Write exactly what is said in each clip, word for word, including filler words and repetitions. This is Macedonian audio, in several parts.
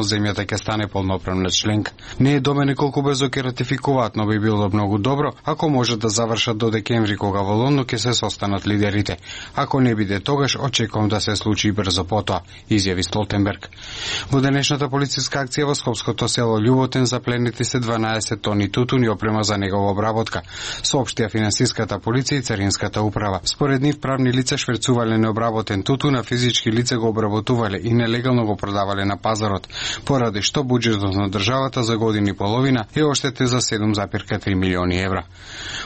земјата ќе стане полноправна членка. Не е до мене колку брзо ќе ратификуваат, но би било многу добро ако може да завршат до декември, кога во Лондон ќе се состанат лидерите. Ако не биде тогаш, очекувам да се случи брзо потоа, изјави Столтенберг. Во денешната полициска акција во скопското село Љуботен запленети се дванаесет тони тутун и опрема за негова обработка, соопштија финансиската полиција и царинската управа. Според нив правни лица шверцувале необработен тутун, а физички лица го обработувале и нелегално го продавале на пазарот, поради што буџетот на државата за година и половина е оштетен за седум зарез три милиони евра.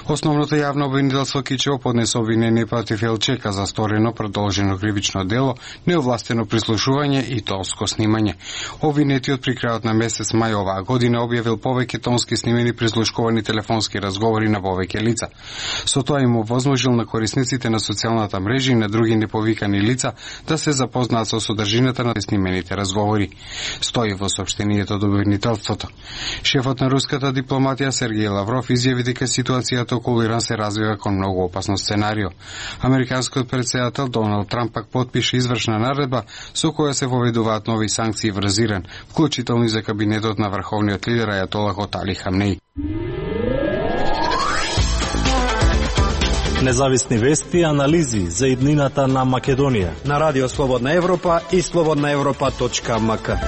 Основното јавно обвинителство Кичево поднесе обвинение против Елчека за сторено продолжено кривично дело, неовластено прислушување и тонско снимање. Обвинетиот при крајот на месец мај оваа година објавил повеќе тонски снимени прислушкувани телефонски разговори на повеќе лица. Со тоа им овозможил на корисниците на социјалната мрежа и на други неповикани лица да се запознаат со содржината на снимените разговори, стои во соопштението од обвинителството. Шефот на руската дипломатија Сергеј Лавров изјави дека ситуацијата околу Иран се развива кон многу опасно сценарио. Американскиот претседател Доналд Трамп пак потпише извршна наредба со која се воведуваат нови санкции врз Иран, вклучително и за кабинетот на врховниот лидер Ајатолах Али Хамнеи. Независни вести и анализи за иднината на Македонија на Радио Слободна Европа и слободна европа точка ем ка.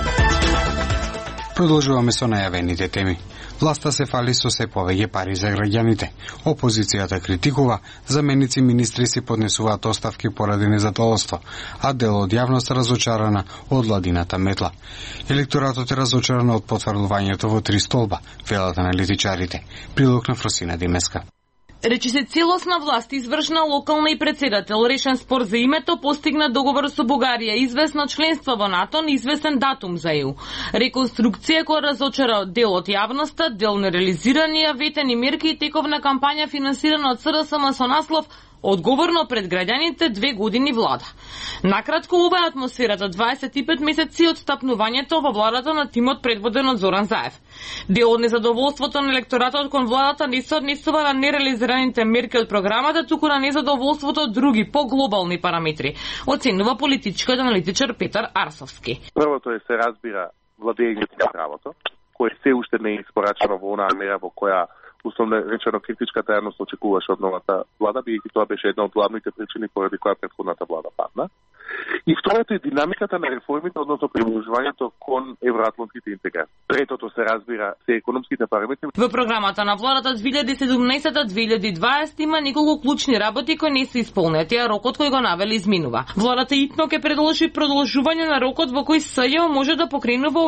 Продолжуваме со најавените теми. Власта се фали со се повеќе пари за граѓаните. Опозицијата критикува, заменици министри си поднесуваат оставки поради незадоволство, а дел од јавност разочарана од владината метла. Електоратот е разочаран од потврдувањето во три столба, велат аналитичарите. Прилог на Фросина Димеска. Речи се целосна власт, извршна, локална и председател, решен спор за името, постигна договор со Бугарија, известно членство во НАТО, известен датум за ЕУ. Реконструкција која разочара дел од јавноста, дел нереализирани ветени мерки и тековна кампања финансирана од СРСМ со наслов "Одговорно пред граѓаните две години влада". Накратко, ова е атмосферата дваесет и пет месеци од стапнувањето во владата на тимот предводен од Зоран Заев. Дел од незадоволството на електоратот кон владата не се однесува на нереализираните мерки од програмата, туку на незадоволството од други поглобални параметри, оценува политичкиот аналитичар Петар Арсовски. Првото е се разбира владењето на правото, кое се уште не е испорачено во онаа мера во која условно речено критичката јавност очекуваше од новата влада, бидејќи тоа беше една од главните причини поради која претходната влада падна. И второто е динамиката на реформите, односно приближувањето кон евроатлантските интеграции. Третото се разбира се економските параметри. Во програмата на владата две илјади и седумнаесета до две илјади и дваесета има неколку клучни работи кои не се исполнети, а рокот кој го навели изминува. Владата итно ќе предложи продолжување на рокот во кој СЈО може да покренува